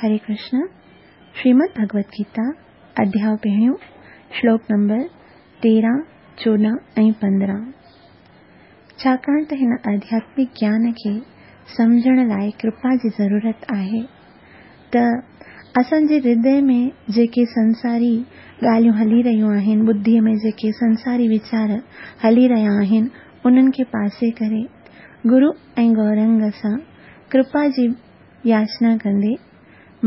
هري ڪرشن، شريمد ڀڳوت گيتا، اڌياء پهريون، شلوڪ نمبر 13، 14 ۽ 15. ڇاڪاڻ ته هن آڌياتمڪ گيان کي سمجهڻ لاء ڪرپا جي ضرورت آهي ته اسان جي هردي ۾ جيڪي سنساري ڳالهيون هلي رهيون آهن، ٻڌيء ۾ جيڪي سنساري ويچار هلي رهيا آهن، انهن کي پاسي ڪري گرو ۽ گورنگ سان ڪرپا جي ياچنا ڪندي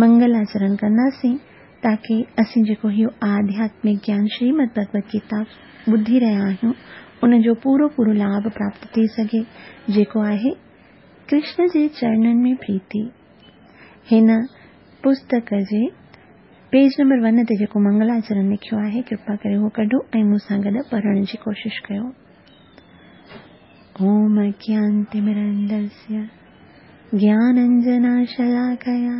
منگلاچرڻ ڪنداسين تاڪه اسين جيڪو اهو آڌياتمڪ گيان شريمد ڀڳوت گيتا ٻڌي رهيا آهيون ان جو پورو پورو لاڀ پراپت ٿي سگهي جيڪو آهي ڪرشن جي چرنن ۾ پريتي. هن پستڪ جي پيج نمبر ون تي جيڪو منگلاچرڻ لکيو آهي ڪرپا ڪري اهو ڪڍو ۽ مون سان گڏ پڙهڻ جي ڪوشش ڪيو. اوم اجيانتمرندسيه گيانانجناشلاڪيا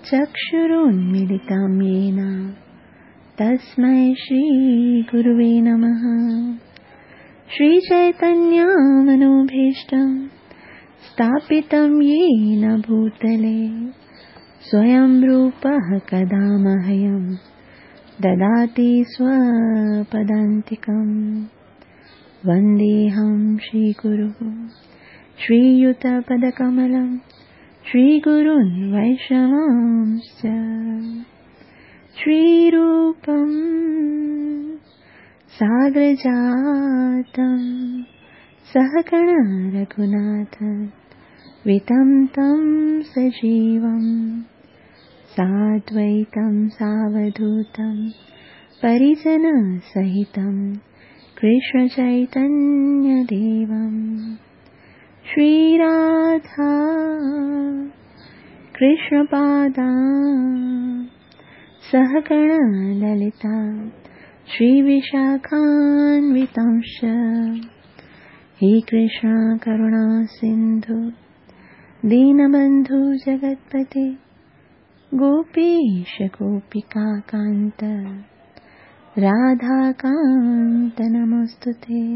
چڪشرونميلتم يين تسمي شري گروي نمه. شري چيتنيه منوڀيشٽم اسٿاپتم يين ڀوتلي سويم روپه ڪدا مهيم دداتي سوپدانتڪم. ونديهم شري گرو شرييت پدڪملم شري گرون ويشنوانشچ شري روپم ساگرجاتم سهگڻ رघناٿ وتم تم سجيوم سادويتم ساوڌوتم پريجن سهتم ڪرشن چيتنيه ديوم. شري راڌا ڪرشن پادا سهگڻ للتا شري وشاکانوتمش. هي ڪرشن ڪروڻا سنڌو دينبنڌو جگتپتي گوپيش گوپيڪا ڪانت راڌا ڪانت نموستتي.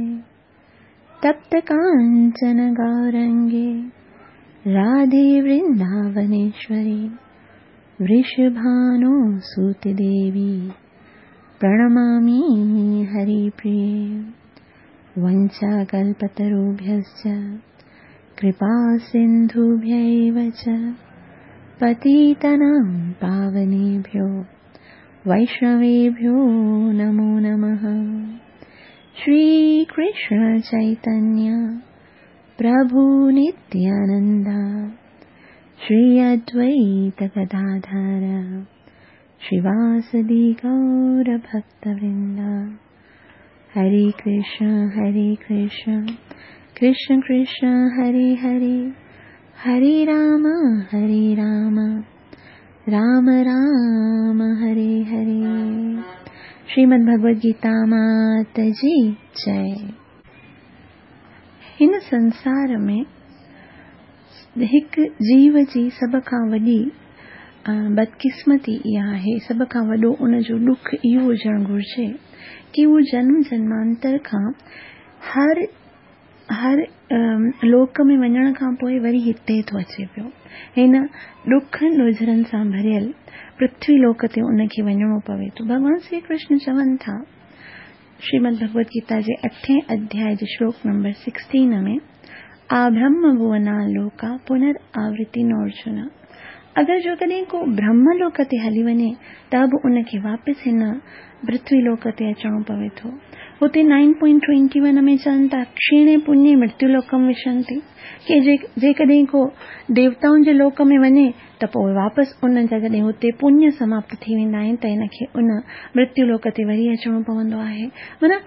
تپت ڪانچن گورانگي راڌي ورنداونيشوري ورشڀانو سوت ديوي پرڻمامي هري پريي. ونچا ڪلپتروڀيشچ ڪرپا سنڌوڀيو چ پتيتنام پاونيڀيو ويشنويڀيو نمو نمه. شري ڪرشن چيتنيه پرڀو نتيانندا شري ادويت گداڌر شريواسدي گور ڀڪتورندا. هري ڪرشن هري ڪرشن ڪرشن ڪرشن هري هري هري رام هري رام رام رام هري هري. شريمد ڀڳوت گيتا مات جي جئي. هن سنسار ۾ هڪ جيو جي سڀ کان وڏي بدقسمتي اها آهي، سڀ کان وڏو ان جو ڏک اهو هجڻ گهرجي ڪي هو جنم جنمانتر کان هر هر لوڪ ۾ وڃڻ کان پوء وري هتي ٿو اچي پيو. هن ڏکن ڏوجهرن سان ڀريل پرٿوي لوڪ تي ان کي وڃڻو پوي ٿو. ڀڳوان شري ڪرشن چون ٿا شريمد ڀڳوت گيتا جي اٺين اڌياء جي شلوڪ نمبر 16 ۾ آبرهم ڀونا لوڪا پنر آورتي نورجن. اگر جو ڪڏهن ڪو برهم لوڪ تي هلي وڃي ته به ان کي واپس هن پرٿوي لوڪ تي اچڻو پوي ٿو. هتي 9.21 ۾ چون ٿا ڪشيڻي پڃي مرتيو لوڪم وشنتي ڪي جيڪڏهن ڪو ديوتائن جي لوڪ ۾ وڃي ته پوء واپس ان جا جڏهن هتي پڃ سماپت ٿي ويندا آهن ته هن کي ان مرتيو لوڪ تي وري اچڻو پوندو آهي. معنيٰ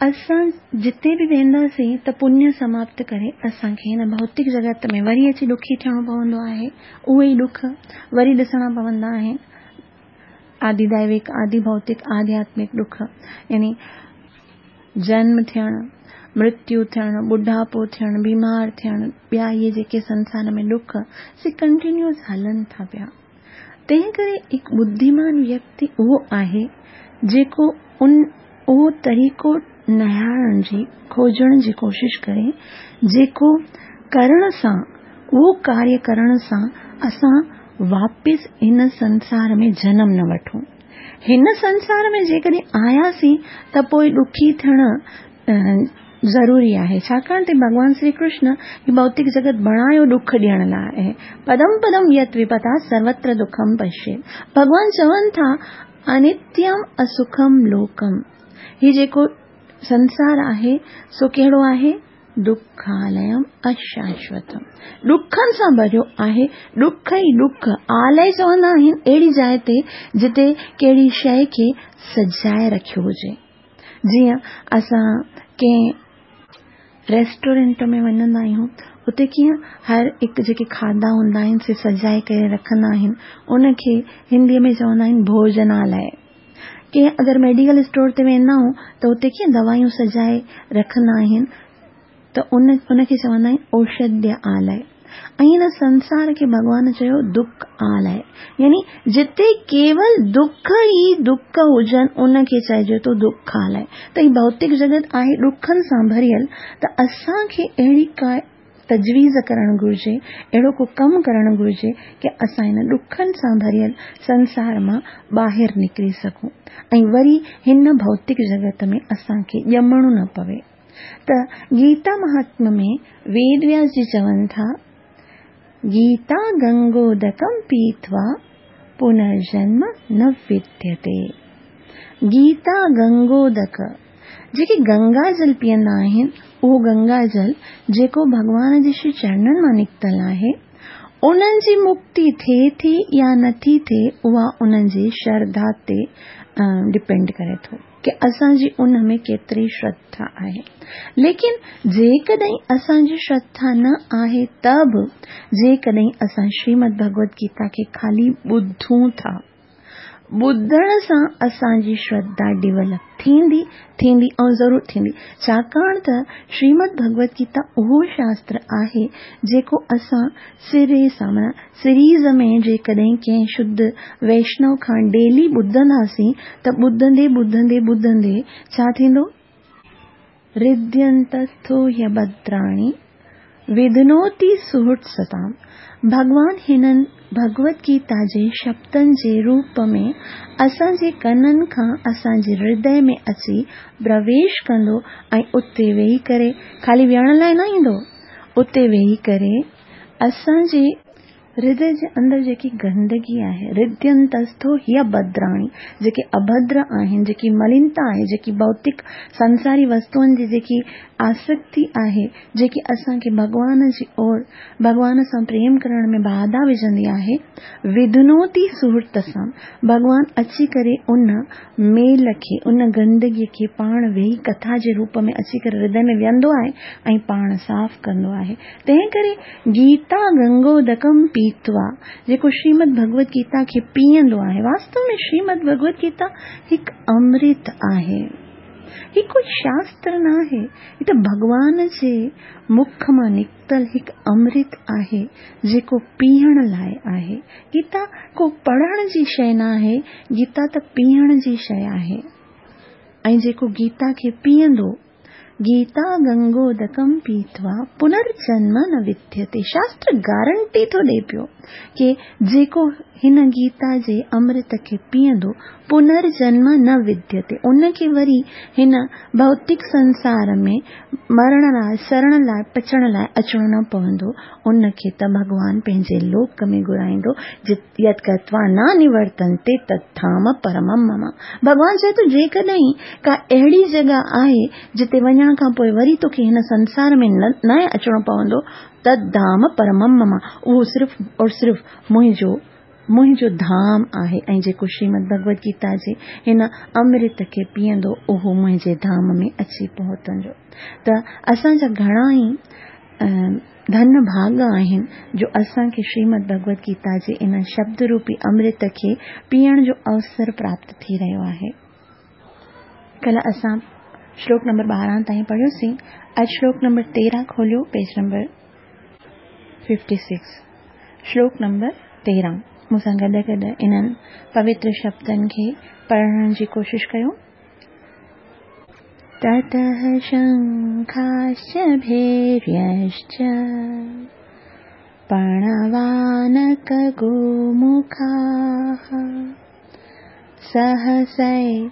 اسان جتي به وينداسين ته پڃ سماپت ڪري اسان کي هن ڀوتڪ جڳت ۾ وري اچي ڏکي ٿيڻو پوندو آهي. اهي ئي ڏک وري ڏسڻا پوندا آهن. آدي دائوڪ، آدي ڀوتڪ، آڌياتمڪ ڏک يعني جنم ٿيڻ، مرتيو ٿيڻ، ٻڍاپو ٿيڻ، بيمار ٿيڻ، ٻيا اهي جيڪي سنسار ۾ ڏک سي ڪنٽينيوس هلن ٿا پيا. تنهن ڪري هڪ ٻڌيمان ويڪتي اهو آهي جيڪو ان اهو طريقو نهارڻ جي، کوجڻ جي ڪوشش ڪري جيڪو ڪرڻ سان، اهو ڪاريه ڪرڻ سان اسان واپس هن سنسار ۾ جنم نه وٺون. هن سنسار ۾ جيڪڏهن آياسين ته پوء ڏکي ٿيڻ ضروري آهي، ڇاڪاڻ ته ڀڳوان شري ڪرشن هي ڀوتڪ جڳت بڻايو ڏک ڏيڻ لاء آهي. پدم پدم يت وپتا سروتر دکم پشيت. ڀڳوان چون ٿا انتيم اسکم لوڪم، هي جيڪو سنسار آهي سو ڪهڙو آهي؟ دکاليم اشاشوتم، ڏکن سان ڀريو آهي، ڏک ئي ڏک. آلئه چوندا آهن اهڙي جاء تي جتي ڪهڙي شيء کي سجائي رکيو هجي. جيئن اسان ڪنهن ريسٽورنٽ ۾ وڃندا آهيون، اتي ڪيئن هر هڪ جيڪي کاڌا هوندا آهن سي سجائي ڪري رکندا آهن، ان کي هنديء ۾ چوندا آهن ڀوجنالئه. ڪنهن اگر ميڊيڪل اسٽور تي ويندا آهيون ته اتي ڪيئن دوائيون سجائي رکندا آهن ته ان کي چوندا آهن اوشڌيه آلئه. ۽ هن سنسار کي ڀڳوان چيو دک آلئه، يعني جتي ڪيول دک ئي دک هجن ان کي چئجي ٿو دک آلئه. ته هي ڀوتڪ جڳت آهي ڏکن سان ڀريل، ته اسان کي اهڙي ڪا تجويز ڪرڻ گهرجي، اهڙو ڪو ڪم ڪرڻ گهرجي ڪي اسان هن ڏکن سان ڀريل سنسار مان ٻاهر نڪري سگهون ۽ وري هن ڀوتڪ جڳت ۾ اسان کي ڄمڻو نه پوي. ته گيتا مهاتم ۾ ويد وياس جي چون ٿا، گيتا گنگودڪم پيتوا پنرجنم نه وديتي. گيتا گنگودڪ، جيڪي گنگا جل پيئندا آهن، اهو گنگا جل جيڪو ڀڳوان جي شري چرنن مان نڪتل آهي، انهن جي مڪتي ٿئي ٿي يا نٿي ٿئي اها انهن جي شرڌا تي ڊپينڊ ڪري ٿو ڪي اسان جي ان ۾ ڪيتري شرڌا آهي. ليڪن جيڪڏهن اسان جي شرڌا نه آهي ته به جيڪڏهن اسان شريمد ڀڳوت گيتا کي خالي ٻڌون ٿا، ٻڌڻ سان اسان جي شرڌا ڊيولپ ٿيندي، ٿيندي ۽ ضرور ٿيندي، ڇاڪاڻ ته شريمد ڀڳوت گيتا اهو شاستر آهي جيڪو اسان سري سان معنيٰ سيريز ۾ جيڪڏهن ڪنهن شڌ ويشنو کان ڊيلي ٻڌنداسين ته ٻڌندي ٻڌندي ٻڌندي ڇا ٿيندو؟ هرديانتسٿو هيڀدراڻي وڌنوتي سهرت ستام، ڀڳوان هنن ڀڳوت گيتا جي شبدن جي روپ ۾ اسان جي ڪنن کان اسان جي هردي ۾ اچي پرويش ڪندو ۽ اتي ويهي ڪري، خالي ويهڻ لاء نه ايندو، اتي ويهي ڪري اسان جي هردي جي اندر جيڪي گندگي آهي، هرديانتسٿو هيڀدراڻي، جيڪي اڀدر آهن، جيڪي ملينتا آهي، جيڪي ڀوتڪ سنساري وستوئن جي جيڪي آسڪتي آهي، جيڪي اسان کي ڀڳوان جي اور ڀڳوان سان پريم ڪرڻ ۾ باڌا وجهندي آهي، وڌنوتي سهرت سان، ڀڳوان اچي ڪري ان ميل کي، ان گندگي کي پاڻ ويهي ڪٿا جي روپ ۾ اچي ڪري هردي ۾ ويهندو آهي ۽ پاڻ صاف ڪندو آهي. تنهن ڪري گيتا گنگودڪم پيتوا، جيڪو شريمد ڀڳوت گيتا کي پيئندو آهي، واستو ۾ شريمد ڀڳوت گيتا هڪ امرت آهي. هي ڪوئي شاستر نه آهي، هي ته ڀڳوان جي مک مان نڪتل هڪ امرت آهي، جيڪو پيئڻ لاء آهي. گيتا ڪو پڙهڻ جي شيء نه آهي، گيتا ته پيئڻ جي شيء آهي. ۽ جيڪو گيتا کي پيئندو، گيتا گنگودڪم پيتوا پنرجنم نه وديتي، شاستر گارنٽي ٿو ڏئي پيو ڪي جيڪو هن گيتا جي امرت کي پيئندو پنرجنم نه وديتي، ان کي وري هن ڀوتڪ سنسار ۾ مرڻ لاء، سڙڻ لاء، پچڻ لاء اچڻو نه پوندو، ان کي ته ڀڳوان پنهنجي لوڪ ۾ گهرائيندو جت يت گتوا نه نورتنتي تت ڌام پرمم مم. ڀڳوان چئي ٿو جيڪڏهن ڪا اهڙي جڳهه آهي جتي وڃڻ کان پوء وري توکي هن سنسار ۾ نه اچڻو پوندو، تت ڌام پرمم مم، اهو صرف اور صرف منهنجو منهنجو ڌام آهي ۽ جيڪو شريمد ڀڳوت گيتا جي هن امرت کي پيئندو اهو منهنجي ڌام ۾ اچي پهتندو. ته اسان جا گهڻا ئي ڌن ڀاڳ آهن جو اسان کي شريمد ڀڳوت گيتا جي ان شبد روپي امرت کي پيئڻ جو اوسر پراپت ٿي رهيو آهي. ڪلهه اسان شلوڪ نمبر 12 تائين پڙهيوسين. اڄ شلوڪ نمبر 13 کوليو پيج نمبر 56. شلوڪ نمبر 13 مون سان گڏ گڏ انهن پوتر شبدن کي پڙهڻ جي ڪوشش ڪيو. تتः شنکاشچ ڀيريشچ पणवानकगोमुखाः सहसैवाभ्यहन्यन्त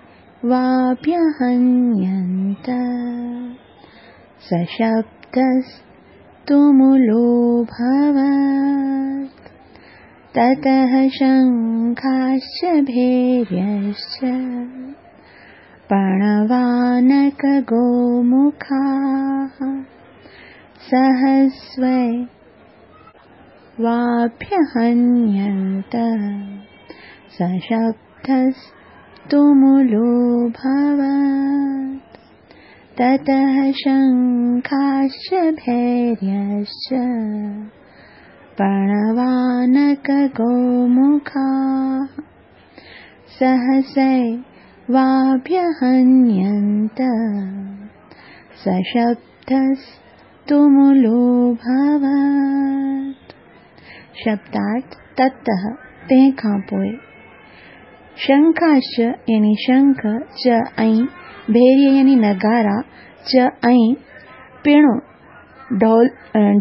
सशब्दस्तुमुलोऽभवत्। ततः शङ्खाश्च भैर्यश्च पणवानकगोमुखाः सहस्वैवाभ्यहन्यन्त सशब्दस्तुमुलोऽभवत्। ततः शङ्खाश्च भैर्यश्च पणवानकगोमुखाः सहसैवाभ्यहन्यन्त सशब्दस्तुमुलोऽभवत्। शब्दार्थ ततः तंहिं खां पोइ शंखाश्च यानी शंख च ऐं भैर्य यानी नगारा च ऐं पिणु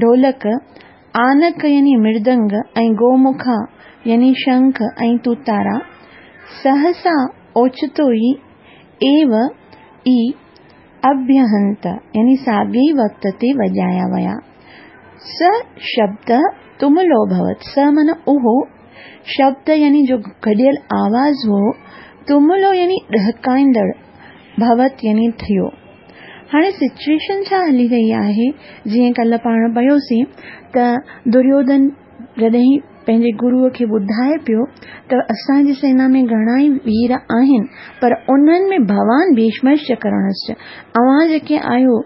ढोलक आनक यानी मृदंग ऐं गोमुखा यानी शंख ऐं तुतारा सहसा ओचितो ई एव ई अभ्यहंत यानी साॻे ई वक़्त ते वॼाया विया। स शब्द तुमुलो भवत, स माना उहो, शब्द यानी जो गॾियल आवाज़ हो, तुमुलो यानी ॾहकाईंदड़, भवत यानी थियो। हाणे सिचुएशन छा हली रही आहे, जीअं कल्ह पाण पढ़ियोसीं त दुर्योधन जॾहिं पंहिंजे गुरूअ खे ॿुधाए पियो त असांजी सेना में घणा ई वीर आहिनि, पर उन्हनि में भवान भीष्मश्च कर्णश्च, अव्हां जेके आहियो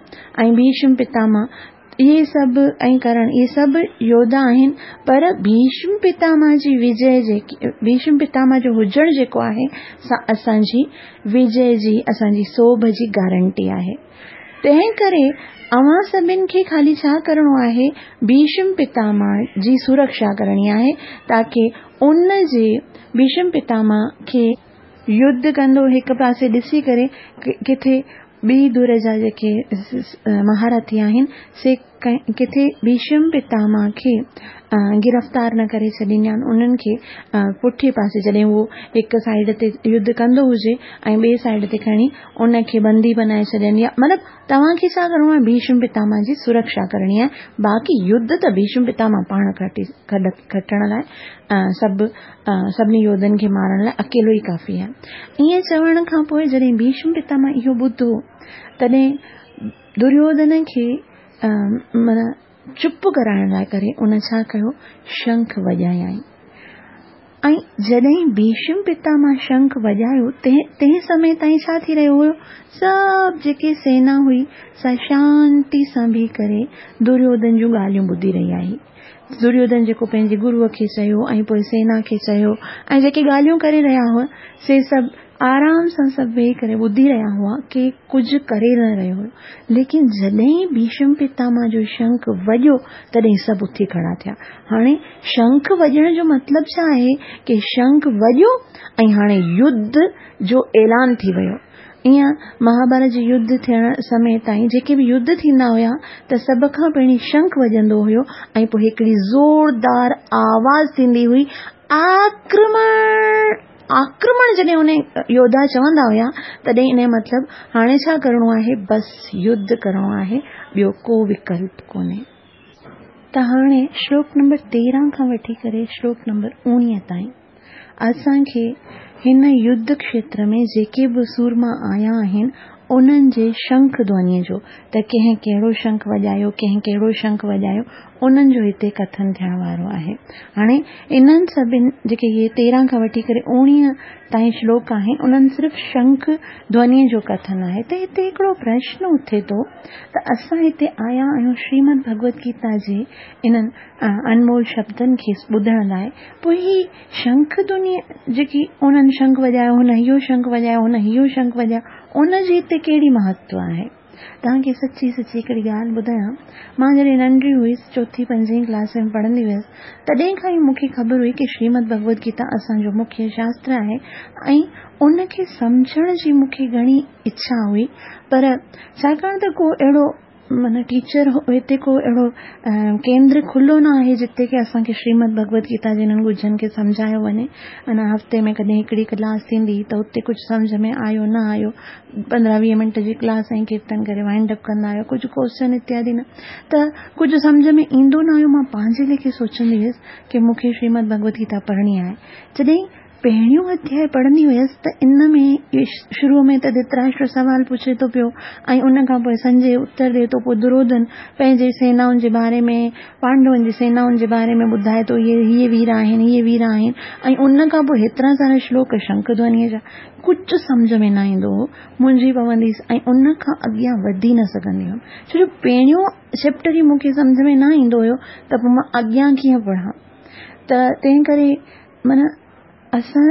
ऐं भीष्म पितामह, इहे सभु ऐं करण, इहे सभु योद्धा आहिनि, पर भीष्म पितामह जी विजय जेकी, भीष्म पितामह जो हुजणु जेको आहे सा असांजी विजय जी, असांजी सोभ जी गारंटी आहे। तंहिं करे अव्हां सभिनि खे ख़ाली छा करिणो आहे, भीष्म पितामह जी सुरक्षा करणी आहे, ताकी उन जे भीष्म पितामह खे युद्ध कंदो हिकु पासे ॾिसी करे किथे ॿी धुर जा जेके महारथी आहिनि से किथे भीष्म पितामह खे गिरफ़्तार न करे छॾीनि या उन्हनि खे पुठे पासे जॾहिं उहो हिकु साइड ते युद्ध कंदो हुजे ऐं ॿिए साइड ते खणी उनखे बंदी बनाए छॾनि, या मतिलबु तव्हांखे छा करिणो आहे, भीष्म पितामह जी सुरक्षा करणी आहे, बाक़ी युद्ध त भीष्म पितामह पाण खटण लाइ सभिनी योद्धनि खे मारण लाइ अकेलो ई काफ़ी आहे। ईअं चवण खां पोइ जॾहिं भीष्म पितामह इहो ॿुधो तॾहिं दुर्योधन खे माना चुप कराइण लाइ करे उन छा कयो, शंख वॼायाईं। ऐं जॾहिं भीष्म पितामह शंख वॼायो तंहिं समय ताईं छा थी रहियो हुयो, सभु जेके सेना हुई सा शांती सां बीह करे दुर्योधन जूं ॻाल्हियूं ॿुधी रही आई। दुर्योधन जेको पंहिंजे गुरूअ खे चयो ऐं पोइ सेना खे चयो ऐं जेके ॻाल्हियूं करे रहिया हुआ से सभु आराम सां सभु वेही करे ॿुधी रहिया हुआ, के कुझु करे न रहियो हुयो। लेकिन जॾहिं भीष्म पितामह जो शंख वॼो तॾहिं सभु उथी खड़ा थिया। हाणे शंख वॼण जो मतिलबु छा आहे की शंख वॼो ऐं हाणे युद्ध जो ऐलान थी वियो। ईअं महाभारत जे युद्ध थियण समय ताईं जेके बि युद्ध थींदा हुया त सभ खां पहिरीं शंख वॼंदो हुयो ऐं पोइ हिकिड़ी ज़ोरदार आवाज़ थींदी हुई, आक्रमण आक्रमण। जॾहिं उन योद्धा चवंदा हुया तॾहिं इन मतिलबु हाणे छा करिणो आहे, बसि युद्ध करिणो आहे, ॿियो को विकल्प कोन्हे। त हाणे श्लोक नंबर 13 खां वठी करे श्लोक नंबर 19 ताईं असांखे हिन युद्ध क्षेत्र में जेके बि सूरमा आया आहिनि उन्हनि जे शंख ध्वनि जो, त कंहिं कहिड़ो शंख वॼायो, कंहिं कहिड़ो शंख वॼायो, उन्हनि जो हिते कथन थियण वारो आहे। हाणे इन्हनि सभिनि जेके इहे 13 खां वठी करे 19 ताईं श्लोक आहिनि उन्हनि सिर्फ़ शंख ध्वनि जो कथन आहे। त हिते हिकिड़ो प्रश्न उथे थो त असां हिते आया आहियूं श्रीमद भगवत गीता जे इन्हनि अनमोल शब्दनि खे ॿुधण लाइ, पोइ ही शंख ध्वनि जेकी उन्हनि शंख वॼायो, हुन इहो शंख वॼायो, हुन इहो शंख वॼायो, उनजे हिते कहिड़ी महत्व आहे? तव्हांखे सची सची हिकिड़ी ॻाल्हि ॿुधायां, मां जॾहिं नंढी हुईसि, चोथी पंजीं क्लास में पढ़ंदी हुयसि, तॾहिं खां ई मूंखे ख़बर हुई की श्रीमद भगवत गीता असांजो मुख्य शास्त्र आहे ऐं उनखे सम्झण जी मूंखे घणी इच्छा हुई, पर छाकाणि त को अहिड़ो معنيٰ ٽيچر هتي ڪو اهڙو ڪيندر کلو نه آهي جتي ڪي اسان کي شريمد ڀڳوت گيتا جي انهن ڳجهن کي سمجهايو وڃي. معنيٰ هفتي ۾ ڪڏهن هڪڙي ڪلاس ٿيندي ته اتي ڪجهه سمجهه ۾ آيو نه آيو، 15 20 منٽ جي ڪلاس ۽ ڪيرتن ڪري وائنڊ اپ ڪندا آهيو، ڪجهه ڪوئسچن اتيادي نه ته ڪجهه سمجهه ۾ ايندو نه هيو. مان پنهنجي ليکي سوچندي هيس ڪي مون کي شريمد ڀڳوت گيتا پڙهڻي آهي. جڏهن پهريون اڌياء پڙهندي هيس ته ان ۾ شروع ۾ ته ڌتراشٽر سوال پڇي ٿو پيو ۽ ان کان پوء سنجي اتر ڏئي ٿو، پوء دريوڌن پنهنجي سينائن جي باري ۾ پانڊون جي سينائن جي باري ۾ ٻڌائي ٿو، اهي هيء وير آهن، هيء وير آهن ۽ ان کان پوء هيترا سارا شلوڪ شنک ڌونيء جا ڪجهه سمجهه ۾ نه ايندو هو، منجهي پوندي هيس ۽ ان کان اڳيان وڌي نه سگهندي هيم، ڇو جو پهريون چيپٽر ئي مون کي سمجهه ۾ نه ايندو هيو ته پوء مان اڳيان ڪيئن پڙهان ته تنهن ڪري معنيٰ اسان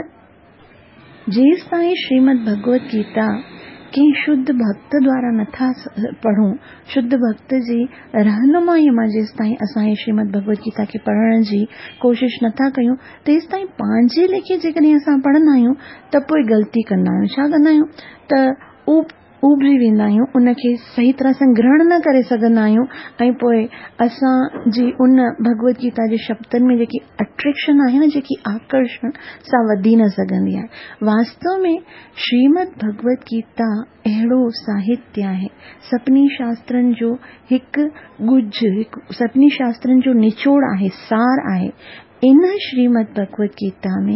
جيستائين شريمد ڀڳوت گيتا ڪنهن شڌ ڀڳت دوارا نٿا پڙهون، شڌ ڀڳت جي رهنمائيء مان جيستائين اسان هي شريمد ڀڳوت گيتا کي پڙهڻ جي ڪوشش نٿا ڪيون، تيستائين پنهنجي ليکي جيڪڏهن اسان پڙهندا آهيون ته پوء غلطي ڪندا آهيون. ڇا ڪندا آهيون ته اوبجي ويندا آهيون، ان کي صحيح طرح سان گرهڻ نه ڪري سگهندا آهيون ۽ پوء اسان جي ان ڀڳوت گيتا جي شبدن ۾ جيڪي اٽريڪشن آهي نه، جيڪي آڪرشڻ، سا وڌي نه سگهندي آهي. واستو ۾ شريمد ڀڳوت گيتا اهڙو ساهتيه آهي، سڀني شاسترن جو هڪ ڳجهه، هڪ سڀني شاسترن جو نچوڙ آهي، سار آهي. ان شريمد ڀڳوت گيتا ۾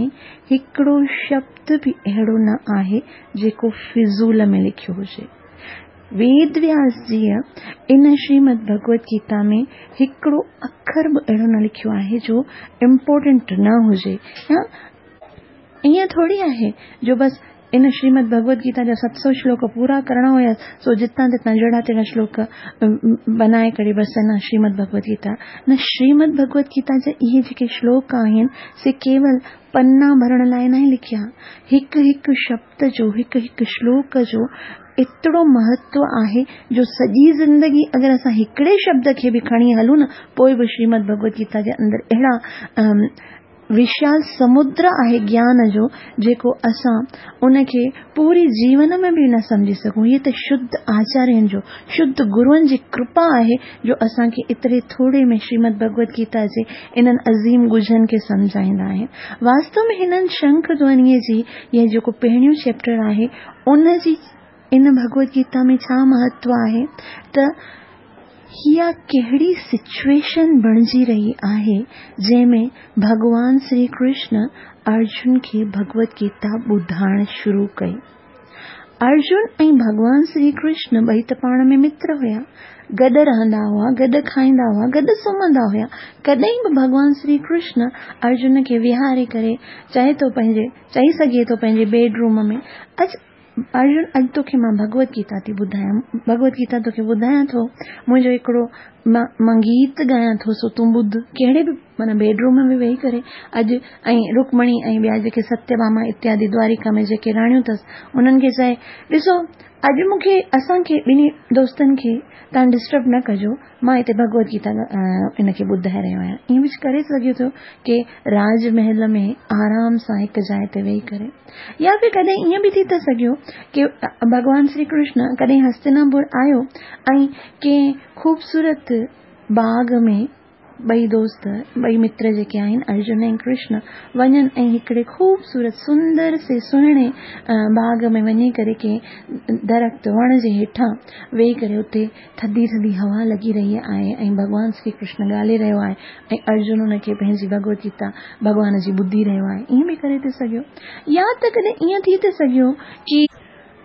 هڪڙو شبد به اهڙو نه آهي جيڪو فضول ۾ لکيو هجي. ويد وياس جيء ان شريمد ڀڳوت گيتا ۾ هڪڙو اکر به اهڙو نه لکيو آهي جو امپورٽنٽ نه هجي يا ائين ٿوري آهي جو بس ان شريمد ڀڳوت گيتا جا 700 شلوڪ پورا ڪرڻا هيا سو جتان تتان جهڙا تهڙا شلوڪ بنائي ڪري بس نه شريمد ڀڳوت گيتا نه شريمد ڀڳوت گيتا جا اهي جيڪي شلوڪ آهن سي ڪيول پنا ڀرڻ لاء ناهي لکيا. هڪ هڪ شبد جو هڪ هڪ شلوڪ جو ايترو مهتو آهي جو سڄي زندگي اگر اسان هڪڙي شبد کي به کڻي هلون نه پوء به شريمد ڀڳوت گيتا جي اندر اهڙا وشال سمدر آهي گيان جو جيڪو اسان ان کي پوري جيون ۾ به نه سمجهي سگهون. هيء ته شڌ آچارين جو، شڌ گروئن جي ڪرپا آهي جو اسان کي ايتري ٿوري ۾ شريمد ڀڳوت گيتا جي انهن عظيم ڳجهن کي سمجهائيندا آهن. واستو ۾ هنن شنک ڌونيء جي يا جيڪو پهريون چيپٽر آهي ان جي ان ڀڳوت گيتا ۾ ڇا مهتو آهي ته اها ڪهڙي سچوئيشن بڻجي رهي آهي جنهن ۾ ڀڳوان شري ڪرشن ارجن کي ڀڳوت گيتا ٻڌائڻ شروع ڪئي. ارجن ۽ ڀڳوان شري ڪرشن ٻئي ته پاڻ ۾ متر هيا. گڏ رهندا هئا، گڏ کائيندا هئا، گڏ سمهندا هيا. ڪڏهن به ڀڳوان شري ڪرشن ارجن کي ويهاري ڪري چئي ٿو پنهنجي چئي سگهي ٿو پنهنجي بيڊ روم ۾ اچ ارجن اڄ توکي مان ڀڳوت گيتا ٿي ٻڌايان، ڀڳوت گيتا توکي ٻڌايان ٿو، منهنجو هڪڙو مان گيت ڳايان ٿو سو تون ٻڌ. ڪهڙي به معنيٰ بيڊ روم ۾ ويهي ڪري اڄ ۽ رڪمڻي ۽ ٻيا جيڪي ستيه ڀاما اتيادي دواريڪا ۾ جيڪي راڻيون اٿس انهن کي چئي ڏسو اڄ مون کي اسان کي ٻنهي دوستن کي توهان ڊسٽرب نه ڪجو مان هتي ڀڳوت گيتا ان کي ٻڌائي رهيو آهيان. ائين به ڪري سگهي ٿو ڪي راج محل ۾ آرام سان هڪ جاء تي ويهي ڪري يا ڦر ڪڏهن ائين به ٿي ٿو سگهيو ڪي ڀڳوان شري ڪرشن ڪڏهن هستناپور آيو ۽ ڪنهن خوبصورت باغ ۾ ٻئي دوست ٻئي متر جيڪي آهن ارجن ۽ ڪرشن وڃن ۽ هڪڙي خوبصورت سندر سي سهڻي باغ ۾ وڃي ڪري ڪنهن درخت وڻ جي هيٺان ويهي ڪري اتي ٿڌي ٿڌي هوا لڳي رهي آهي ۽ ڀڳوان شري ڪرشن ڳالهي رهيو آهي ۽ ارجن ان کي پنهنجي ڀڳوت گيتا ڀڳوان جي ٻڌي رهيو آهي. ائين به ڪري ٿي سگهيو. يا ته ڪڏهن ائين ٿي ٿي سگهيو ڪي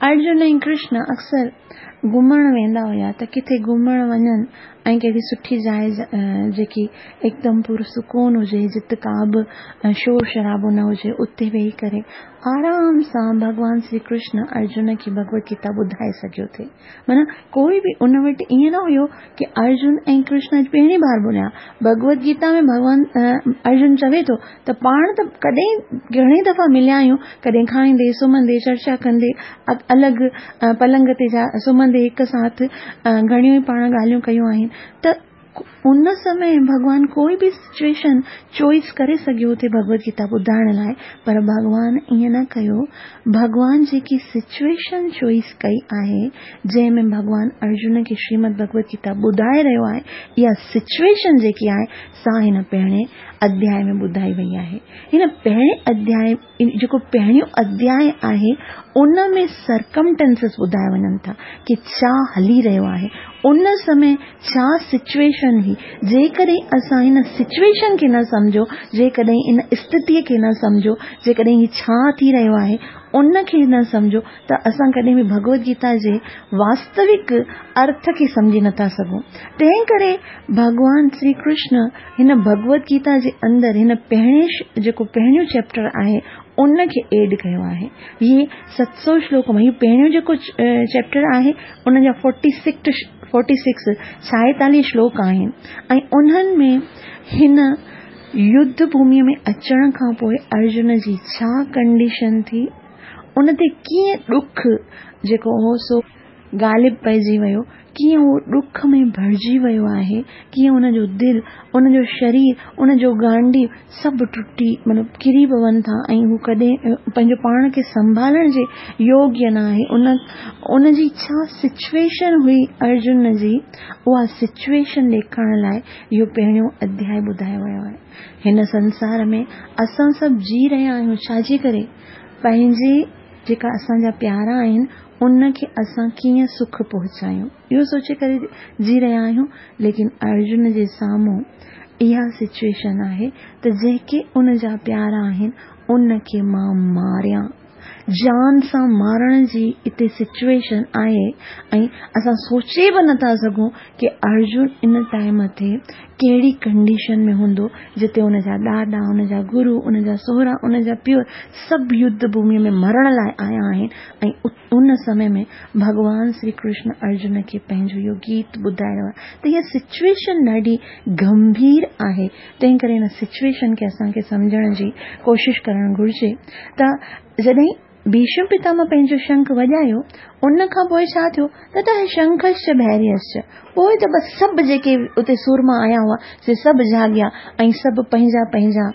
ارجن ۽ ڪرشن اڪثر گهمڻ ويندا هيا ته ڪٿي گهمڻ وڃن ۽ ڪهڙي سٺي جاء جيڪي هڪدم پرسڪون هجي جت ڪا به شور شرابو نه هجي اتي ويهي ڪري آرام سان ڀڳوان شري ڪرشن ارجن کي ڀڳوت گيتا ٻڌائي سگهيو ٿي. معنيٰ ڪوئي به ان وٽ ائين نه هيو ڪي ارجن ۽ ڪرشن اڄ پهرين بار ٻوليا. ڀڳوت گيتا ۾ ڀڳوان ارجن چوي ٿو ته پاڻ ته ڪڏهن گهڻي دفعا مليا آهيون، ڪڏهن کائيندي، سمهندي، چرچا ڪندي، الڳ پلنگ تي جا سمهندي هڪ ساٿ گهڻيون ئي پاڻ ڳالهيون ڪيون آهن ته ان سمي ڀڳوان ڪوئي به سچوئيشن چوائس ڪري سگهيو ٿي ڀڳوت گيتا ٻڌائڻ لاءِ، پر ڀڳوان ائين نه ڪيو. ڀڳوان جيڪي سچوئيشن چوائس ڪئي آهي، جنهن ۾ ڀڳوان ارجن کي شريمد ڀڳوت گيتا ٻڌائي رهيو آهي، اها سچوئيشن جيڪي آهي سا هن پهرين اڌياء ۾ ٻڌائي وئي آهي. هن پهرين اڌياء جيڪو پهريون اڌياء آهي ان ۾ سرڪمٽينسز ٻڌايا وڃن ٿا ڪي ڇا هلي رهيو آهي، ان سمي ڇا سچوئيشن هئي. جيڪڏهن اسان هن سچوئيشن کي نه سمجهو، جيڪڏهن ان اسٿتيء کي نه سمجهو، جيڪڏهن هي ڇا ٿي رهيو آهي ان کي نه سمجهو ته اسان ڪڏهن به ڀڳوت گيتا جي واستوڪ ارٿ کي سمجهي نٿا سگهون. تنهن ڪري ڀڳوان شري ڪرشن هن ڀڳوت گيتا جي اندر هن پهرين جيڪو پهريون چيپٽر آهي ان کي ايڊ ڪيو آهي. هي 700 شلوڪ مان هي پهريون جيڪو چيپٽر آهي ان جا 46 46 شلوڪ آهن ۽ انهن ۾ هن يڌ ڀوميء ۾ اچڻ کان پوء ارجن جي ڇا ڪنڊيشن ٿي، ان تي ڪيئن ڏک جيڪو هو سو غالب پئجي ويو، ڪيئن هو ڏک ۾ ڀرجي ويو آهي، ڪيئن ان جو دل، ان جو شرير، ان جو گانڊيو سڀ ٽٽي مطلب ڪري پون ٿا ۽ هو ڪڏهن پنهنجو پاڻ کي سنڀالڻ جي يوگيه نه آهي. ان جي ڇا سچوئيشن هئي ارجن جي، اها سچوئيشن ڏيکارڻ لاء اهو پهريون اڌياء ٻڌايو ويو آهي. هن سنسار ۾ اسان سڀ جي رهيا آهيون ڇا جي ڪري؟ پنهنجي جيڪا اسان جا پيارا آهن ان کي اسان ڪيئن سک پهچايون اهو سوچي ڪري جي رهيا آهيون. ليڪن ارجن جي سامهون اها سچوئيشن آهي ته جيڪي ان جا پيارا آهن ان کي مان ماريان، جان سان مارڻ جي اتي سچوئيشن آهي ۽ اسان سوچي به نٿا سگهون ڪي ارجن ان ٽائيم تي ڪهڙي ڪنڊيشن ۾ هوندو جتي ان جا ڏاڏا، ان جا گرو، ان جا سهرا، ان جا پيء سڀ يڌ ڀومي ۾ مرڻ لاء آيا آهن ۽ ان سمي ۾ ڀڳوان شري ڪرشن ارجن کي پنهنجو اهو گيت ٻڌائي رهيو آهي ته اها سچوئيشن ڏاڍي گنڀير آهي، تنهن ڪري ان سچوئيشن کي اسان کي سمجهڻ جي ڪوشش ڪرڻ گهرجي ته جڏهن ڀيشم پتامه پنهنجو شنک وڄايو ان کان پوء ڇا ٿيو ته ته شنکشچ ڀيريشچ، پوء ته بس سڀ جيڪي اتي سورما آيا هئا سي سڀ جاڳيا ۽ سڀ پنهنجا پنهنجا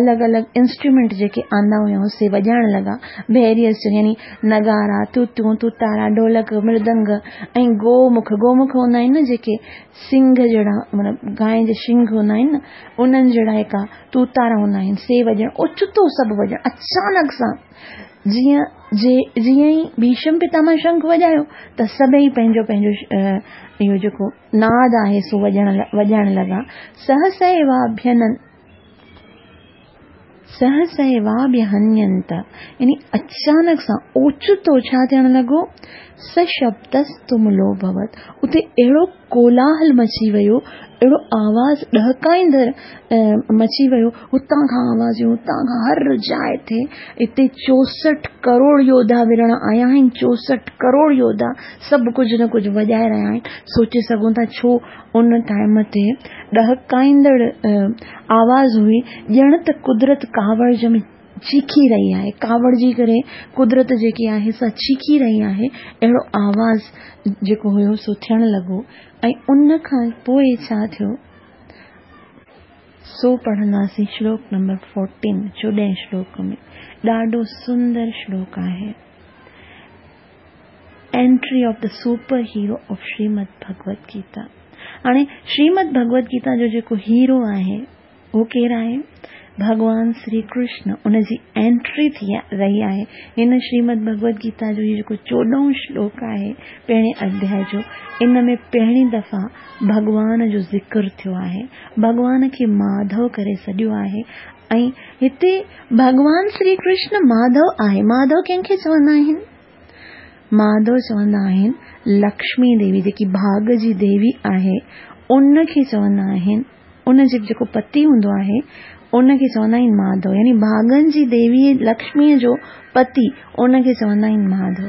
الڳ الڳ انسٽرومينٽ جيڪي آندا هيائون سي وڄائڻ لڳا. ڀيريشچ يعني نغارا، توتيون، توتارا، ڍولڪ، مردنگ ۽ گومک، گومک هوندا آهن نه جيڪي سنگ جهڙا مطلب گانء جي شنگ هوندا آهن نه انهن جهڙا هڪا توتارا هوندا آهن سي وڄڻ اوچتو سڀ وڄڻ اچانڪ سان جيئن جي جيئن ئي ڀيشم پتامه شنک وڄايو ته سڀئي پنهنجو پنهنجو اهو جيڪو ناد آهي سو وڄڻ وڄائڻ لڳا. سهسيواڀينن سهسيواڀيهنينت يعني اچانڪ سان اوچتو ڇا ٿيڻ لڳو سشبدستملوڀوت اتي اهڙو ڪولاهل مچي ويو، اهڙو آواز ڏهڪائيندڙ مچي ويو، هتان کان آوازون هتان کان هر جاء تي اتي 64 ڪروڙ يوڌا وڙهڻ آيا آهن، 64 ڪروڙ يوڌا سڀ ڪجهه نه ڪجهه وڄائي رهيا آهن، سوچي سگهون ٿا ڇو ان ٽائيم تي ڏهڪائيندڙ آواز هئي، ڄڻ ته قدرت ڪاوڙ ۾ چيخي رهي آهي، ڪاوڙجي ڪري قدرت جيڪي آهي سا چيخي رهي آهي، اهڙو آواز جيڪو هيو سو ٿيڻ لڳو ۽ ان کان پوء ڇا ٿيو سو پڙهنداسين شلوڪ نمبر فورٽين، چوڏهين شلوڪ ۾ ڏاڍو سندر شلوڪ آهي. Entry of the super hero of Shrimad Bhagavad Gita. هاڻي شريمد ڀڳوت گيتا جو جيڪو هيرو آهي اهو ڪير آهي؟ ڀڳوان شري ڪرشن ان جي انٽري ٿي رهي آهي. هن شريمد ڀڳوت گيتا جو هي جيڪو چوڏهون شلوڪ آهي پهرين اڌياء جو ان ۾ پهرين دفعا ڀڳوان جو ذڪر ٿيو آهي. ڀڳوان کي ماڌو ڪري سڏيو آهي ۽ هتي ڀڳوان شري ڪرشن ماڌو آهي. ماڌو ڪنهن کي چوندا آهن؟ ماڌو چوندا آهن لڪشمي ديوي جيڪي ڀاڳ جي ديوي آهي ان کي چوندا آهن. ان جي جيڪو پتي هوندو آهي ان کي چوندا آهن ماڌو يعني ڀاڳن جي ديوي لڪشميء جو پتي ان کي چوندا آهن ماڌو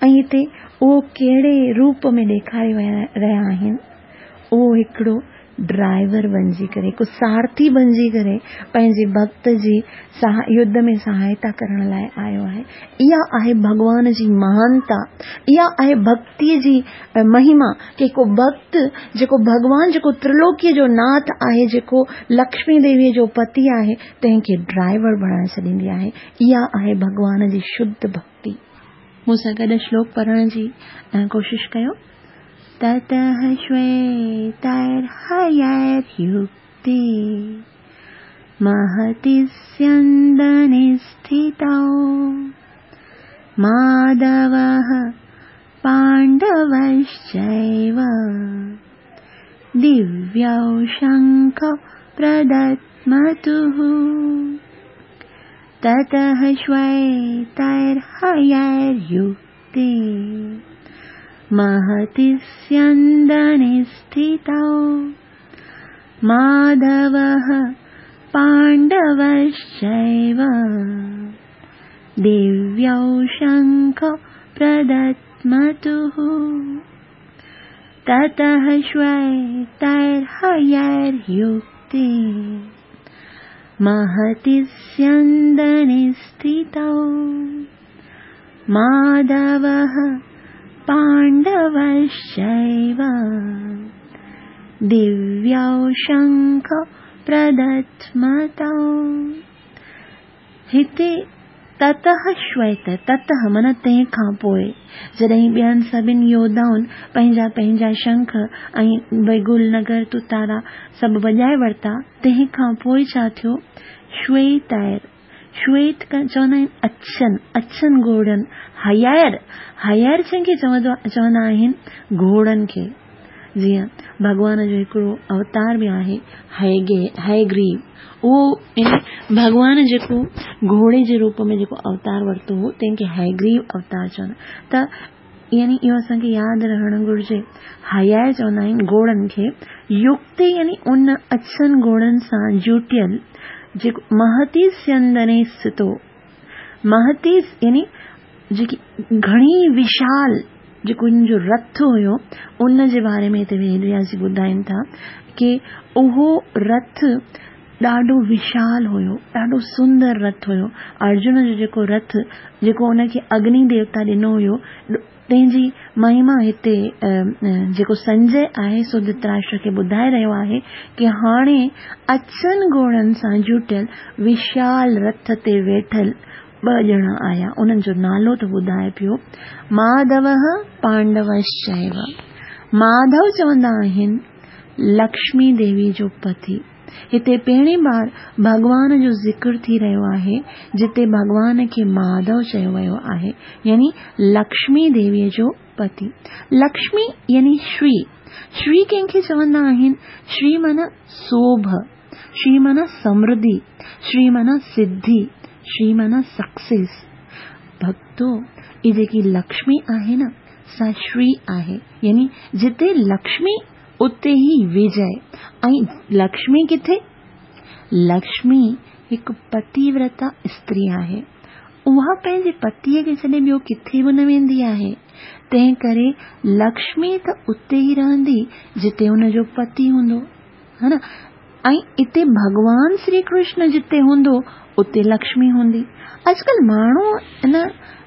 ۽ هتي اهو ڪهڙي روپ ۾ ڏيکاري رهيا آهن اهو هڪڙو ڊرائيور بنجي ڪري، هڪ سارٿي بنجي ڪري پنهنجي ڀڳت جي يڌ ۾ سهائتا ڪرڻ لاء آيو آهي. اها آهي ڀڳوان جي مهانتا، اها آهي ڀڳتيء جي مهما ڪي هڪ ڀڳت جيڪو ڀڳوان جيڪو ترلوڪيء جو ناٿ آهي، جيڪو لڪشمي ديويء جو پتي آهي، تنهن کي ڊرائيور بڻائي ڇڏيندي آهي. اها آهي ڀڳوان جي شڌ ڀڳتي. مون سان گڏ شلوڪ پڙهڻ جي ڪوشش ڪيو. تتः شويترهيريڪتي مهتي سيندني اسٿتو ماڌوه پانڊوشچيو دويو شنکو پردتمتوه. تتः شويترهيريڪتي مهتي سيندني اسٿتو ماڌوه پانڊوشچيو دويو شنکو پردتمتوه. تتः شويترهيريڪتي مهتي سيندني اسٿتو ماڌوه پانڊوشچيو دويو شنکو پردتمتو. هتي تتهه شويت، تتهه معنيٰ تنهن کان پوء، جڏهن ٻين سڀن يوڌائن پنهنجا پنهنجا شنک ۽ بيگل، نگر، تتارا سڀ وڄائي ورتا، تنهن کان پوء ڇا ٿيو؟ شويتائر، شويت چوندا آهن اڇن، اڇن گهوڙن، هيائر، هيائر ڇن کي چوندا آهن؟ گهوڙن کي. جيئن ڀڳوان جو هڪڙو اوتار به آهي هيگريو، اهو يعني ڀڳوان جيڪو گهوڙي جي روپ ۾ جيڪو اوتار ورتو هو تنهن کي هيگريو اوتار چوندا ته يعني اهو اسان کي ياد رهڻ گهرجي. هيائي چوندا آهن گهوڙن کي، يڪتي يعني ان اڇن گهوڙن سان جوٽيل جيڪو مهتي سيندني ستو، مهتي يعني جيڪي گهڻي وشال جيڪو ان جو رٿ هيو ان جي باري ۾ هتي ويد وياس جي ٻڌائين ٿا ڪي اهو رٿ ڏاڍو وشال هيو، ڏاڍو سندر رٿ هيو. ارجن جو جيڪو رٿ جيڪو ان کي اگني ديوتا ڏنو هيو تنهن جي مهما هتي جيڪو سنجي آهي سو ڌتراشٽر کي ٻڌائي رهيو آهي ڪي هاڻي اڇن گهوڙن سان جوٽيل وشال رٿ تي ويٺل ٻه ڄڻا آيا، انهن جو نالو ٿو ٻڌائي پيو، ماڌوه پانڊوشچيو. ماڌو چوندا آهن لڪشمي ديوي جو پتي. هتي پهرين بار ڀڳوان جو ذڪر ٿي رهيو آهي، جتي ڀڳوان کي ماڌو چيو ويو آهي، يعني لڪشمي ديوي جو پتي. لڪشمي يعني شري. شري ڪنهن کي چوندا آهن؟ شري معنيٰ سوڀ. شري معنيٰ سمرڌي، شري معنيٰ سڌي، شري معنيٰ سڪسيس. ڀڳتو، هي جيڪي لڪشمي آهي نه، سا شري آهي، يعني جتي لڪشمي اتي ئي وجئه. ۽ لڪشمي ڪٿي؟ لڪشمي هڪ پتيورتا استري آهي. اها پنهنجي پتيء کي ڇڏي ٻيو ڪٿي به نه ويندي آهي. تنهن ڪري لڪشمي ته اتي ئي رهندي جتي ان جو پتي هوندو. ها نه؟ ۽ اتي ڀڳوان شري ڪرشن جتي هوندو اتي لڪشمي هوندي. اڄڪلهه ماڻهو نه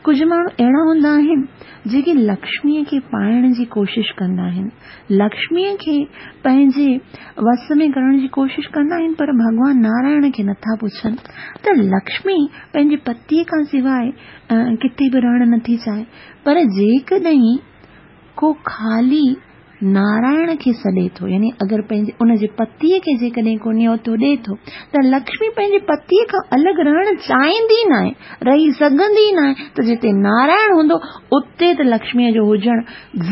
ڪجهه ماڻهو اهڙا هوندا آهن جيڪي لڪشميء کي پائڻ جي ڪوشش ڪندا آهن. لڪشميء کي پنهنجي وس ۾ ڪرڻ جي ڪوشش ڪندا آهن پر ڀڳوان نارائڻ کي نٿا پڇن ته لڪشمي پنهنجي پتيء کان سواء ڪٿي به رهڻ نٿي چاهي پر جيڪڏهن ڪو خالي نارائڻ کي سڏي ٿو يعني اگر پنهنجي ان جي پتيء کي جيڪڏهن ڪو نيوتو ڏئي ٿو ته لڪشمي پنهنجي پتيء کان الڳ رهڻ چاهيندي ناهي، رهي سگهندي ناهي ته جتي نارائڻ هوندو اتي ته لڪشميء جو هجڻ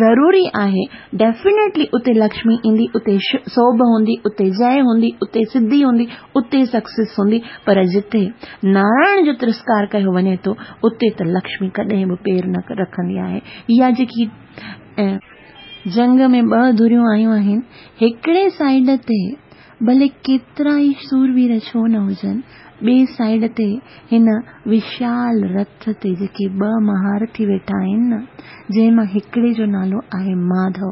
ضروري آهي، ڊيفينيٽلي اتي لڪشمي ايندي، اتي سوڀ هوندي، اتي جئه هوندي، اتي سڌي هوندي، اتي سڪسيس هوندي پر جتي نارائڻ جو ترسڪار ڪيو وڃي ٿو اتي ته لڪشمي ڪڏهن به پير نه رکندي آهي. اها جيڪي. جنگ ۾ ٻه ڌريون آيون آهن، هڪڙي سائيڊ تي ڀلي ڪيترا ئي سوروير ڇو نه هجن، ٻي سائيڊ تي هن وشال رٿ تي جيڪي ٻه مهارٿي ويٺا آهن نه، جنهن مان هڪڙي جو نالو آهي ماڌو.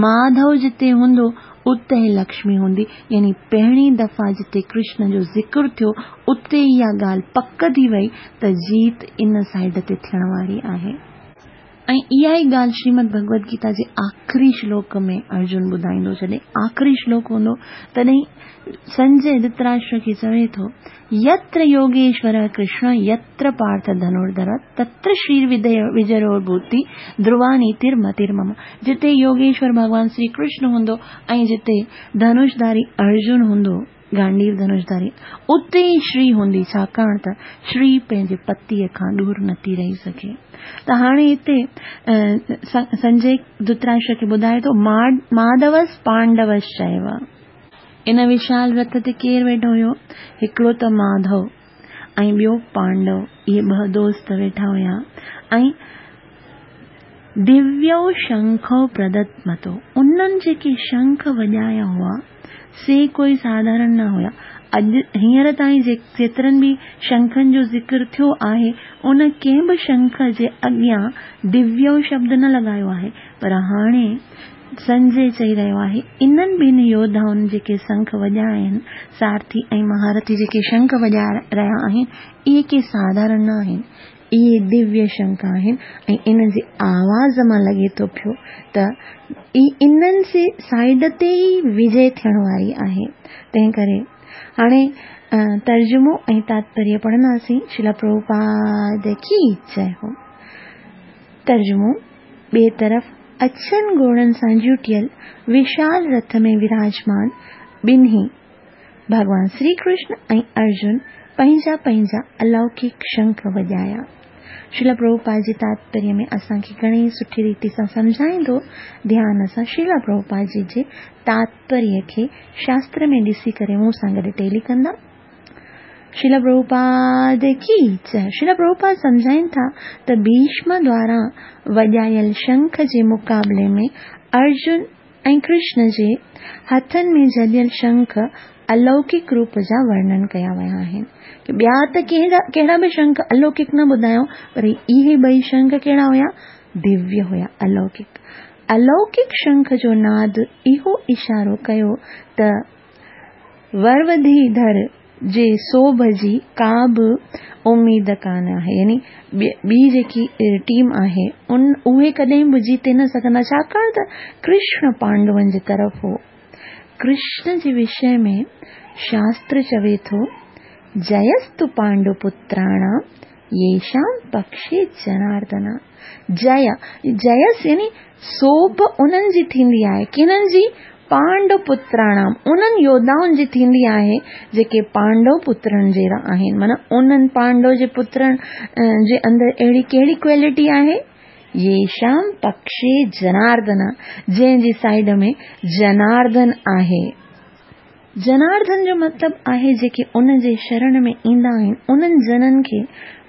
ماڌو جتي هوندو، اتي لڪشمي هوندي. يعني پهرين دفعا جتي ڪرشن جو ذڪر ٿيو، اتي اها ڳالهه پڪ ٿي وئي ته جيت ان سائيڊ تي ٿيڻ واري آهي. ۽ اها ئي ڳالهه شريمد ڀڳوت گيتا جي آخري شلوڪ ۾ ارجن ٻڌائيندو. جڏهن آخري شلوڪ هوندو تڏهن سنجي ڌرتراشٽر کي چوي ٿو، يتر يوگيشور ڪرشن يتر پارٿ ڌنرڌر تتر شرير وجيو ڀوتي ڌروا نيتر متر مم. جتي يوگيشور ڀڳوان شري ڪرشن هوندو ۽ جتي ڌنشڌاري ارجن هوندو، گانڊيو ڌنشڌاري، اتي ئي شري هوندي، ڇاڪاڻ ته شري پنهنجي پتيء کان ڏور نٿي رهي سگهي. ته هاڻي هتي سنجي ڌرتراشٽر کي ٻڌائي ٿو، ماڌوس پانڊوس چيو. ان وشال رٿ تي ڪير ويٺو هيو؟ هڪڙو ته ماڌو ۽ ٻيو پانڊو، اهي ٻه دوست ويٺا هيا ۽ دويو شنکو پردتمتو، انهن جيڪي شنک وڄايا هئا، سي ڪوئي ساڌارڻ نه هيا. اڄ هينئر تائين جيترن به شنکن جو ذڪر ٿيو آهي، ان ڪنهن به شنک جي اڳيان دويو شبد نه لڳايو آهي، پر هاڻي سنجي چئي رهيو آهي، انهن ٻن يوڌائن جيڪي شنک وڄايا آهن، سارٿي ۽ مهارٿي جيڪي شنک وڄائي رهيا آهن، اهي ڪي ساڌارڻ نه آهن. اهي دويه شنک آهن ۽ انهن جي آواز مان لڳي ٿو پيو ته انهن جي سائيڊ تي ئي وجي ٿيڻ واري آهي. تنهن ڪري هاڻي ترجمو ۽ تاتپريه پڙهنداسين. شريلا پرڀوپاد ڪي جئه هو. ترجمو، ٻئي طرف اڇن گهوڙن سان جوٽيل وشال رٿ ۾ وراجمان ٻنهي ڀڳوان شري ڪرشن ۽ ارجن پنهنجا پنهنجا الوڪڪ شنک وڄايا. شريلا پرڀوپاد جي تاتپريه ۾ اسان کي گهڻي ئي سٺي ريتي سان سمجهائيندو. ڌيان سان شريلا پرڀوپاد جي جي تاتپريه کي شاستر ۾ ڏسي ڪري مون سان گڏ ٽيلي ڪندا. شريلا پرڀوپاد ڪي جئه. شريلا پرڀوپاد سمجهائين ٿا ته ڀيشم دواران وڄايل شنک جي مقابلي ۾ ارجن ۽ ڪرشن جي هٿن ۾ جهليل شنک الوڪڪ روپ جا ورڻن ڪيا ويا آهن. ٻيا ته ڪهڙا به شنک الوڪڪ نه ٻڌايائون پر اهي ٻئي شنک ڪهڙا هيا؟ دويه هيا، الوڪڪ. الوڪڪ شنک جو ناد اهو اشارو ڪيو ته وروڌي ڌر جي سوڀ جي ڪا به اميد ڪانه آهي يعني ٻي جيڪي ٽيم آهي ان اهي ڪڏهن به جيتي نه سگهندا ڇاڪاڻ ته ڪرشن پانڊون جي طرف هو. ڪرشن جي وشي ۾ شاستر چوي ٿو، جيستو پانڊو پتراڻام ييشام پڪشي جناردنا. جئه، جيس يعني سوڀ انهن جي ٿيندي آهي، ڪنهن جي؟ پانڊو پتراڻام، انهن يوڌائن جي ٿيندي آهي، جيڪي پانڊو پترن جهڙا آهن. معنيٰ انهن پانڊو جي پترن جي اندر اهڙي ڪهڙي ڪوالٽي آهي؟ ييشام پڪشي جناردنا، جنهن جي سائيڊ ۾ جناردن آهي. جناردن جو مطلب آهي جيڪي ان جي شرڻ ۾ ايندا آهن انهن جنن کي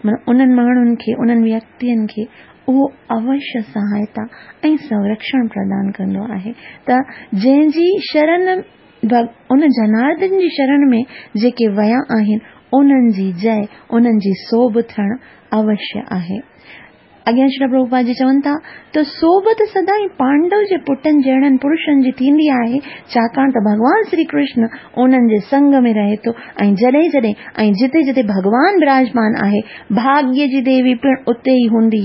معنيٰ انهن ماڻهن کي انهن ويڪتين کي اهو اوشيه سهائتا ۽ سنرڪشڻ پردان ڪندو آهي ته جنهن جي شرڻ ان جناردن جي شرڻ ۾ جيڪي ويا آهن انهن جي جئه انهن جي سوڀ ٿيڻ اوشيه آهي. اڳيان شريلا پرڀوپاد جي چون ٿا ته سوڀ ته سدائين پانڊو جي پٽن جهڙن پرشن جي ٿيندي آهي، ڇاڪاڻ ته ڀڳوان شري ڪرشن انهن جي سنگ ۾ رهي ٿو ۽ جڏهن جڏهن ۽ جتي جتي ڀڳوان براجمان آهي، ڀاڳيه جي ديوي پڻ اتي ئي هوندي،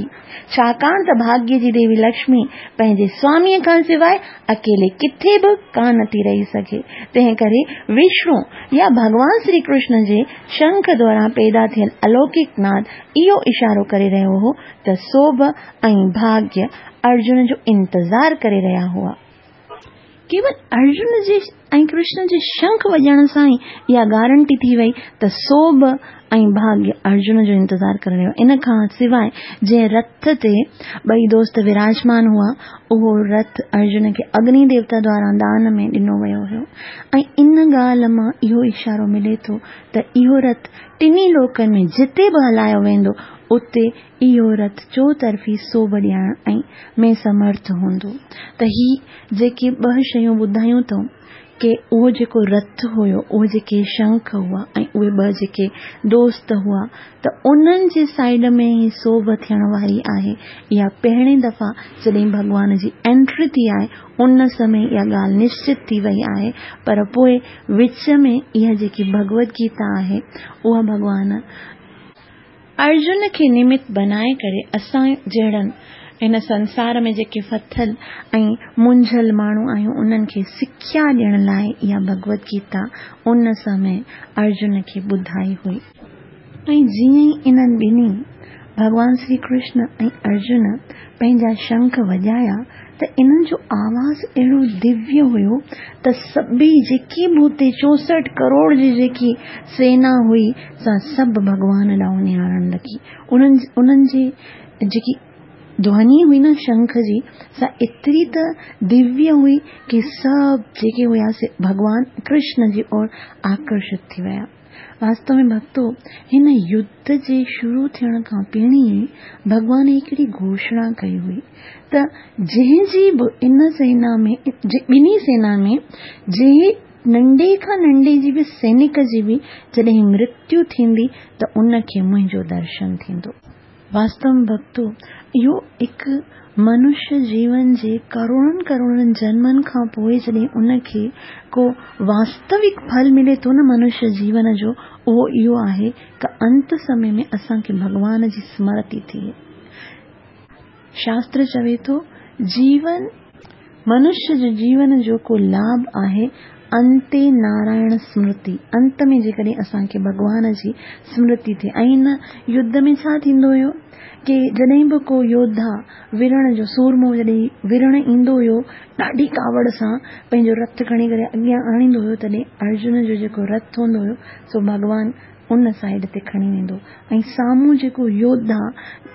ڇاڪاڻ ته ڀاڳيه جي ديوي لڪشمي پنهنجي سواميء کان سواء اڪيلي ڪٿي به ڪانه ٿي رهي سگهي، تنهن ڪري وشنو يا ڀڳوان شري ڪرشن جي شنک دوران پيدا ٿيل الوڪڪ ناد اهو اشارو ڪري رهيو هو ته سوڀ ۽ ڀاڳيه ارجن جو انتظار ڪري رهيا هئا. ڪيول ارجن جي ۽ ڪرشن جي شنک وڄڻ سان ئي اها گارنٽي ٿي وئي ته سوڀ ۽ ڀاڳيه ارجن جو انتظار ڪري رهيو. ان کان سواء جنهن رٿ تي ٻئي دوست وراجمان هئا، اهو رٿ ارجن کي اگني ديوتا دواران دان ۾ ڏنو ويو هيو ۽ ان ڳالهه مان اهو اشارو ملي ٿو ته اهو رٿ ٽنهي لوڪن ۾ جتي به هلايو ويندو، اتي اهو رٿ چوطرفي سوڀ ڏيارڻ ۽ ۾ سمرٿ هوندو. ته هي جيڪي ٻه شيون ٻڌايون اٿئون، ڪي اهو جيڪو رٿ هيو، اهي جيڪي شنک هئا ۽ اهي ٻه جيڪي دوست هئا ته انهن جي سائيڊ ۾ ئي سوڀ ٿيڻ واري آهي. اها پهرين دفعا جڏهن ڀڳوان جي انٽري ٿي آهي ان سمي اها ڳالهه نشچت ٿي وئي آهي پر پوء وچ ۾ اها جيڪي ڀڳوت گيتا آهي اها ڀڳوان ارجن کي نمت بنائي ڪري اسان جهڙن هن سنسار ۾ جيڪي ڦٿل ۽ منجهيل ماڻهو آهيون انهن کي سکيا ڏيڻ لاء اها ڀڳوت گيتا ان سمي ارجن کي ٻڌائي هئي. ۽ جيئن ئي انهن ٻنهي، ڀڳوان شري ڪرشن ۽ ارجن، پنهنجا شنک وڄايا ته انهن جو آواز اهڙو دويه هيو ته سڀئي جيڪي به اتي 64 ڪروڙ جي جيڪي سينا هئي سا سڀ ڀڳوان ڏانهن نهارڻ لڳي. انهن انهن جي جيڪي ڌوني هئي نه شنک جي سا ايتري ته دويه هئي ڪي سڀ جيڪي هيا سي ڀڳوان ڪرشن جي اور آڪرشت ٿي ويا. واستو ۾ ڀڳتو، هن يڌ جي شروع ٿيڻ کان پهرين ئي ڀڳوان هڪڙي گهوشڻا ڪئي هئي ته جنهن جي به ان سينا ۾ ٻنهي سينا ۾ جنهن ننڍي کان ننڍي جي به سينڪ جي به جڏهن مرتيو ٿيندي ته ان کي منهنجو درشن ٿيندو. واستو ۾ ڀڳتو، اهو هڪ منشيه جيون جي ڪروڙن ڪروڙن جنمن کان پوء جڏهن ان کي ڪو واستوڪ ڦل ملي ٿو نه منشيه جيون جو، اهو اهو آهي ته انت سمي ۾ اسان کي ڀڳوان جي سمرتي ٿئي. شاستر چوي ٿو، جيون. منشيه جي جيون جو ڪو لاڀ آهي انتي نارائڻ سمرتي، انت ۾ جيڪڏهن اسان کي ڀڳوان جي سمرتي ٿئي ۽ هن يڌ ۾ ڇا ٿيندو هيو ڪي جڏهن به ڪو يوڌا وڙهڻ جو سورمو جڏهن وڙهڻ ايندو هيو ڏاڍي ڪاوڙ سان پنهنجو رٿ کڻي ڪري اڳيان آڻيندو هيو تڏهن ارجن جو جيڪو رٿ هوندو هيو سو ڀڳوان ان سائيڊ تي کڻي ويندو ۽ سامهون جيڪو يوڌا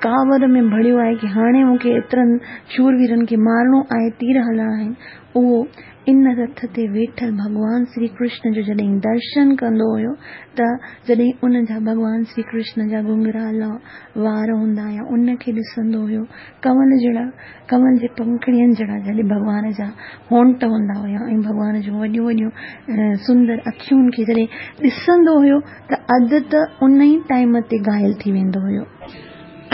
ڪاوڙ ۾ ڀريو آهي ڪي هاڻي مون کي ايترن شورويرن کي مارڻو آهي تير هلڻا آهن اهو ان رٿ تي ويٺل ڀڳوان شري ڪرشن جو جڏهن درشن ڪندو هيو ته جڏهن ان جا ڀڳوان شري ڪرشن جا گهنگرالا وار هوندا هيا ان کي ڏسندو هيو ڪنول جهڙا ڪنول جي پنکڙين جهڙا جڏهن ڀڳوان جا هونٽ هوندا هيا ۽ ڀڳوان جون وڏيون وڏيون سندر اکين کي جڏهن ڏسندو هيو ته اڌ ته ان ئي ٽائيم تي گهايل ٿي ويندو هيو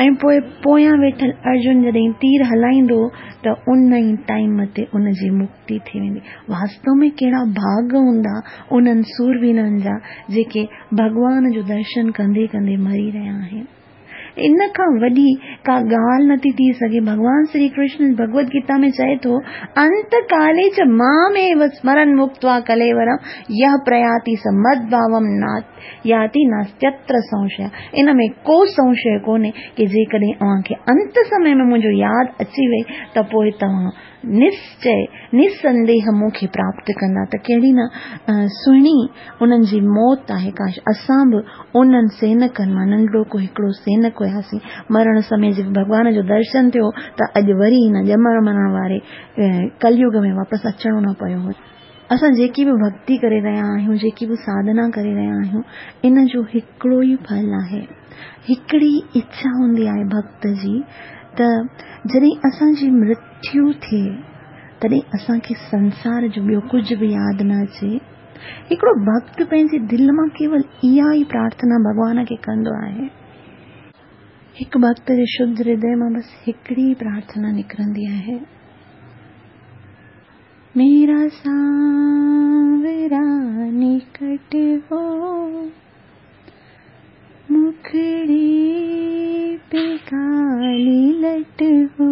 ۽ پوء پويان ويٺل ارجن جڏهن تير هلائيندو هو ته ان ئي ٽائيم تي ان جي مڪتي ٿي ويندي. واستو ۾ ڪهڙا ڀاڳ هوندا انهن سورويرن جا جيڪي ڀڳوان جو درشن ڪندي ڪندي مري رهيا آهن. ان کان وڏي ڪا ڳالهه نٿي ٿي سگهي. ڀڳوان شري ڪرشن ڀڳوت گيتا ۾ چئي ٿو، انت ڪالي چ مام ايو سمرن مڪتوا ڪليورم يھ پرياتي س مد ڀاوم ياتي ناستيتر سنشيه. ان ۾ ڪو سنشيه ڪونهي ڪي جيڪڏهن اوهان کي انت سمي ۾ منهنجو ياد اچي وئي ته پوء توهان نشچي، نسنديهه مون کي پراپت ڪندا ته ڪهڙي نه سهڻي انهن جي موت آهي. ڪاش اسان به انهن سينڪن مان ننڍڙو ڪو هڪڙو سينڪ هياسين. مرڻ سمي جي ڀڳوان جو درشن ٿيو ته اڄ وري هن ڄمڻ مرڻ واري ڪليگ ۾ واپس اچڻو نه پيو هو. اسان جيڪي به ڀڳتي ڪري رهيا آهيون، جيڪي به ساڌنا ڪري رهيا آهيون، ان جو هڪڙو ئي ڦل آهي. هڪڙي اڇا هوندي آهي ڀڳت جي ته جڏهن اسان جي مرتيو ٿيو ٿئي، تڏهن اسان کي سنسار جو ٻيو ڪجهه به ياد نه اچي. هڪڙو ڀڳت پنهنجي دل مان ڪيول اها ئي پرارٿنا ڀڳوان کي ڪندو آهي. هڪ ڀڳت جي شڌ هردي مان بس هڪڙي ئي پرارٿنا نڪرندي آهي. ميرا سانورا نڪٽ هو. مکڙي پي ڪالي لٽ هو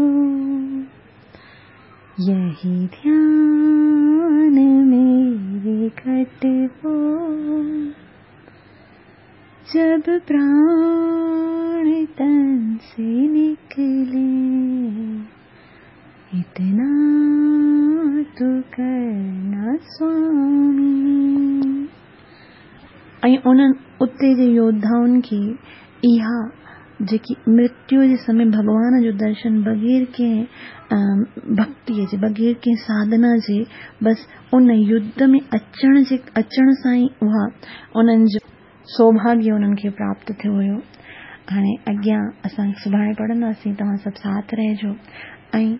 يهي ڌيان ميري گهٽ هو جب پراڻ تن سي نڪلي اتنا تو ڪرنا سوامي. ۽ انهن اتي جي يوڌائن کي اها جيڪي مرتيو جي سمي ڀڳوان جو درشن بغير ڪنهن ڀڳتيء جي بغير ڪنهن ساڌنا جي بس ان يڌ ۾ اچڻ جي اچڻ سان ئي اها انهن جو سوڀاڳيه انهن کي پراپت ٿيو هيو. هاڻي اڳيان اسان سڀاڻي پڙهنداسين توهان سڀ ساٿ رهجو ۽.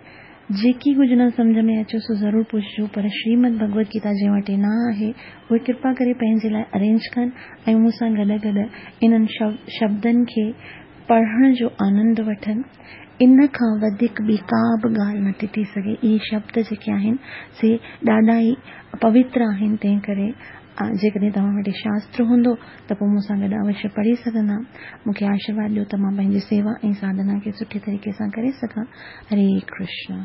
جيڪي ڪجهه نه سمجهه ۾ اچي سو ضرور پڇجو پر شريمد ڀڳوت گيتا جنهن وٽ نه آهي اهي ڪرپا ڪري پنهنجي لاء ارينج ڪن ۽ مون سان گڏ گڏ انهن شبدن کي پڙهڻ جو آنند وٺن. ان کان وڌيڪ ٻي ڪا به ڳالهه نٿي ٿي سگهي. اهي شبد جيڪي آهن سي ڏاڍا ئي پوتر آهن تنهن ڪري جيڪڏهن توهان وٽ شاستر هوندو ته پوء مون سان گڏ اوشيه پڙهي سگهندا. مون کي آشيرواد ڏيو ته مان پنهنجي سيوا ۽ ساڌنا کي سٺي طريقي سان ڪري سگهان. هري ڪرشن.